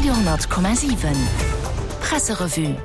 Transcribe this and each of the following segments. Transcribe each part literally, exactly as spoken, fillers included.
Radio honnert Komma siwen Presserevue.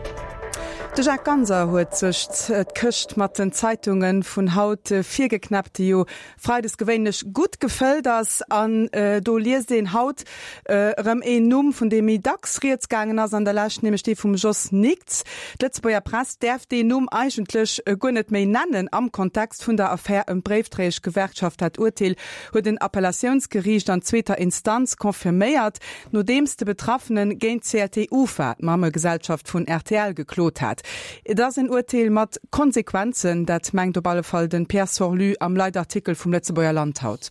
De Jacques Ganser huet sech d'Këscht mat den Zeitunge vun haut virgeknäppt, déi jo freides gewéinlech gutt gefëllt ass. An do liest een haut erëm een Numm, vun deem méi dacks rieds gaangen ass an der Lescht, nämlech dee vum Jos Nickts. D'Lëtzebuerger Press däerf deen Numm eigentlech guer net méi nennen am Kontext vun der Affär ëm d'Bréifdréieschgewerkschaft. Dat Urteel huet en Appellatiounsgeriicht an zweeter Instanz confirméiert, nodeems de Betraffene géint d'C L T Ufa, d'Mammegesellschaft vun R T L, geklot hat. Et ass en Urteel mat Konsequenzen, dat mengt op alle Fall den Pierre Sorlu am Leitartikel vum Lëtzebuerger Land haut.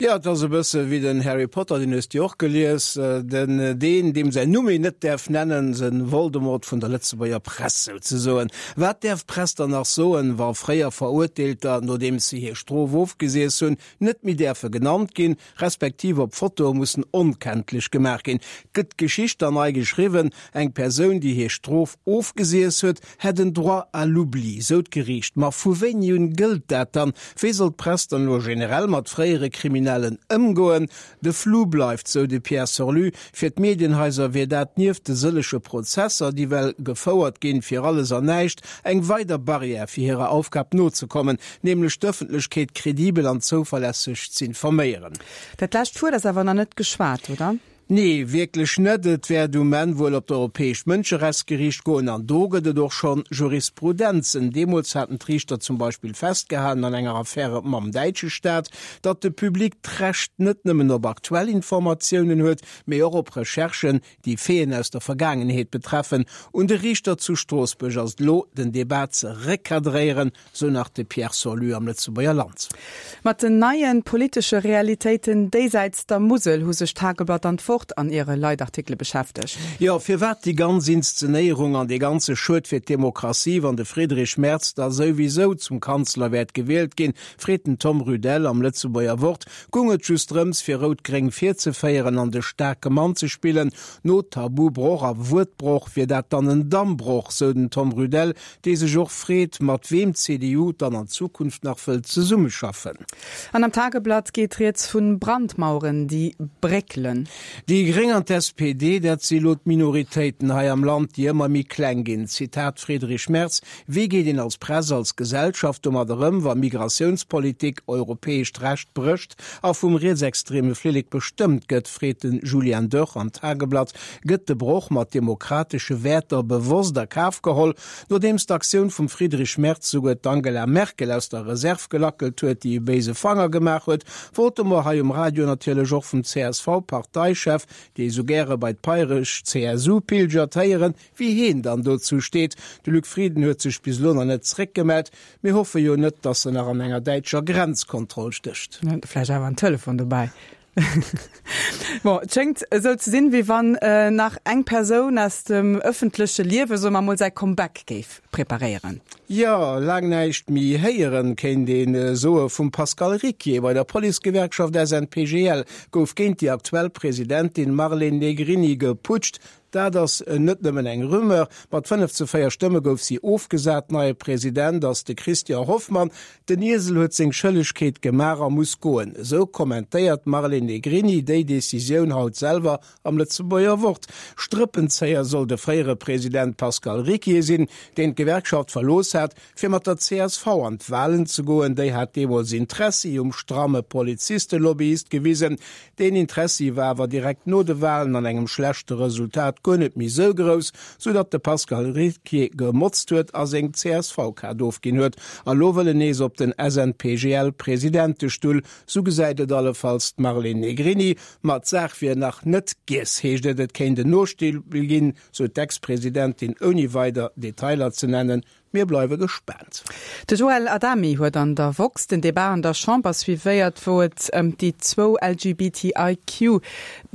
Jo, et ass e bësse wéi den Harry Potter, deen hues de och gelies, den deen, deem säin Numm een net däerf nennen, de Voldemort vun der Lëtzebuerger Press souzesoen. Wat däerf d'Press dann nach soen, wa fréier Verurteelter, nodeems se hir Strof ofgesiess hunn, net méi däerfe genannt ginn, respektiv op Fotoe mussen onkenntlech gemaach ginn? Gëtt d'Geschicht dann nei geschriwwen? Eng Persoun, déi hir Strof ofgesiess huet, hätt en Droit à l'oubli, sou d'Geriicht. Ma vu wéini un gëllt dat dann? Wéi soll d'Press dann elo generell mat fréiere Kriminellen ëmgoen? De Flou bleift, sou de Pierre Sorlu. Fir d'Medienhaiser wier dat nieft de sëllege Prozesser, déi well gefouert ginn, fir alles an näischt, eng weider Barrière fir hirer Aufgab nozekommen, nämlech d'Ëffentlechkeet kredibel an zouverlässeg z'informéieren. Dat lescht Wuert ass awer nach net geschwat, oder? Nee, wierklech net. Et wäert um Enn wuel op d'Europäescht Mënscherechtsgeriicht goen an do gëtt et och schonn Jurisprudenzen. Deemools haten d'Riichter zum Beispill festgehalen an enger Affäre mam däitsche Staat, datt de Public d'Recht net nëmmen op aktuell Informatiounen huet, mee och op Recherchen, déi Faiten aus der Vergaangenheet betreffen. Un de Riichter zu Stroossbuerg ass et elo, den Debat ze recadréieren, sou nach de Pierre Sorlu am Lëtzebuerger Land. Mat den neie politesche Realitéiten déisäits der Musel hu sech d'Tageblatt an d'Wort an hire Leitartikele beschäftegt. Jo, firwat déi ganz Inszenéierung an dee ganze Schued fir d'Demokratie, wann de Friedrich Merz da souwisou zum Kanzler wäert gewielt ginn, freet den Tom Rudel am Lëtzebuerger Wort. Gung et just drëms, fir Rout-Gréng virzeféieren an de staarke Mann ze spillen? No Tabubroch a Wuertbroch wier dat dann en Dammbroch, sou den Tom Rudel, dee sech och freet, mat weem d'C D U dann an Zukunft nach wëllt zesummeschaffen. An am Tageblatt geet rieds vu Brandmaueren, déi bréckelen. Déi Gréng an d'S P D, dat si lo d'Minoritéiten hei am Land, déi ëmmer méi kleng ginn. Zitat Friedrich Merz, Wéi geet een als Press, als Gesellschaft domadder ëm, wa Migratiounspolitik europäescht Recht brécht a vum rietsextreme Flillek bestëmmt gëtt, freet den Julian Dörr am Tageblatt. Gëtt de Broch mat demokratesche Wäerter bewosst a Kaf geholl, nodeems d'Aktioun vum Friedrich Merz souguer d'Angela Merkel aus der Reserv gelackelt huet, déi e béise Fanger gemaach huet, wollte mer hei um Radio natierlech och vum C S V-Parteichef, dee sou gäre bei d'pairesch C S U pilgert, héieren, wéi hien dann dozou steet. De Luc Frieden huet sech bis elo nach net zréckgemellt. Mir hoffe jo net, datt en nach an enger däitscher Grenzkontroll stécht. Vläicht awer en Telefon dobäi. Bon, et schéngt esou ze sinn, wéi wann äh, nach eng Persoun aus dem ëffentleche Liewe sou emol säi Comeback géif preparéieren. Jo, laang näischt méi héieren, kéint een soe vum Pascal Ricquier. Bei der Policegewerkschaft S N P G L gouf géint déi aktuell Presidentin Marlene Negrini geputscht. Dat ass net nëmmen eng Rumeur. Mat fënnef zu véier Stëmme gouf si ofgesat. Neie President ass de Christian Hoffmann. Den Iesel huet seng Schëllegkeet gemaach a muss goen. Esou kommentéiert d'Marlene Negrini déi Decisioun haut selwer am Lëtzebuerger Wort. Strëppenzéier soll de fréiere President Pascal Ricquier sinn, deen d'Gewerkschaft verlooss hat, fir mat der C S V an d'Walen ze goen. Déi hat deemools Interessi um stramme Polizistelobbyist gewisen. Deen Interessi war awer direkt no de Walen an engem schlechte Resultat guer net méi sou grouss, sou datt de Pascal Ricquier gemotzt huet a seng C S V-Kaart ofginn huet. A lo wëll en nees op den S N P G L-Presidentestull, sou gesäit et allefalls d'Marlene Negrini. Ma d'Saach wier nach net giess, heescht et, et kéint en Nospill ginn, sou d'Ex-Presidentin, ouni weider Detailer ze nennen. Mir bleiwe gespaant. De Joël Adami huet an der Woxx den Debat an der Chamber suivéiert, wou et ëm déi zwou L G B T I Q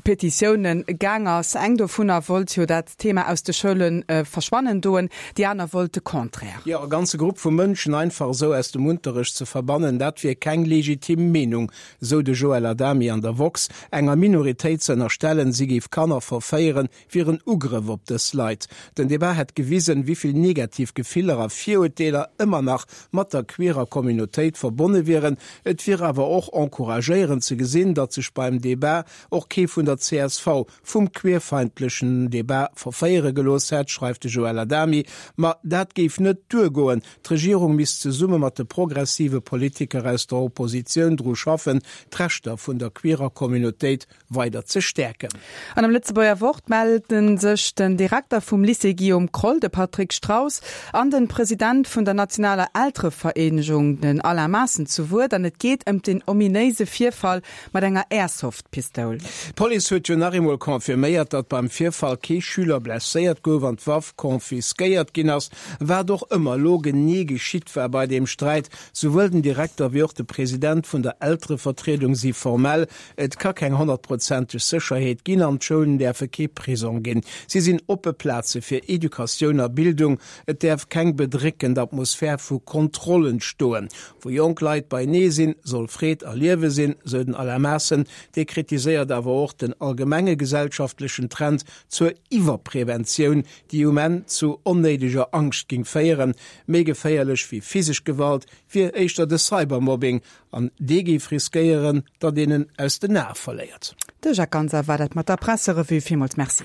Petitioune gaang ass. Eng dovunner wollt jo dat Thema aus de Schoule äh, verschwannen doen, déi aner wollt de Contraire. Jo, e ganze Grupp vu Mënschen einfach esou aus dem Unterrecht ze verbannen, dat wier keng legitim Meenung, sou de Joël Adami an der Woxx. Enger Minoritéit ze ënnerstellen, si géif Kanner verféieren, wier en Ugrëff op dës Leit. Den Debat hätt gewisen, wéi vill negativ Gefiller a a Virurteeler ëmmer nach mat der queerer Communautéit verbonne wieren. Et wier awer och encouragéierend ze gesinn, datt sech beim Debat och kee vun der csv vum queerfeindlechen Debat verféiere gelooss hätt, schreift de Joël Adami. Ma dat géif net duergoen, d'Regierung misst zesumme mat de progressive Politiker aus der Oppositioun dru schaffen, d'Rechter vun der queerer Communautéit weider ze stäerken. An am Lëtzebuerger Wort melle sech den Direkter vum Lycée Guillaume Kroll, de Patrick Straus, an den President vun der nationaler Elterevereenegung, den Alain Maassen, zu Wuert an et geet ëm den ominéise Virfall mat enger Airsoft-Pistoul. D'Police huet jo nach eemol confirméiert, datt beim Virfall kee Schüler blesséiert gouf an d'Waff confisquéiert ginn ass. Wat och ëmmer elo genee geschitt war bei deem Sträit, souwuel den Direkter wéi och de President vun der Elterevertriedung si formell, Et ka keng honnertprozenteg Sécherheet ginn an d'Schoulen däerfe kee Prisong ginn. Si sinn oppe Plaze fir Educatioun a Bildung. Et däerf keng bedréckend Atmosphär vu Kontroll entstoen. Wou jonk Leit beienee sinn, soll Freed a Liewe sinn, sou den Alain Maassen. Dee kritiséiert awer och den allgemenge gesellschaftlechen Trend zur Iwwerpreventioun, déi um Enn zu onnéideger Angscht géing féieren. Méi geféierlech wéi physesch Gewalt wier éischter de Cybermobbing, an dee géif riskéieren, datt een en aus den Ae verléiert. De Jacques Ganser war dat mat der Presserevue. Villmools Merci.